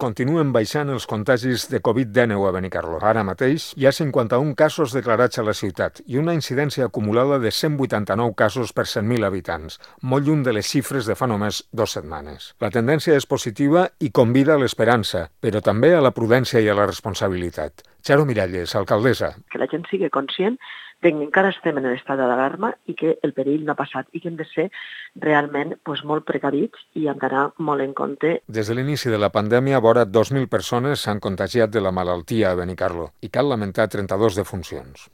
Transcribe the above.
Continuen baixant els contagis de Covid-19 a Benicarló. Ara mateix hi ha 51 casos declarats a la ciutat i una incidència acumulada de 189 casos per 100.000 habitants, molt lluny de les xifres de fa només 2 setmanes. La tendència és positiva i convida a l'esperança, però també a la prudència i a la responsabilitat. Charo Miralles, alcaldessa. Que la gent sigui conscient que encara estem en l'estat d'alarma i que el perill no ha passat i que hem de ser realment molt precavits i hem d'anar molt en compte. Des de l'inici de la pandèmia, vora 2.000 persones s'han contagiat de la malaltia a Benicarló i cal lamentar 32 defuncions.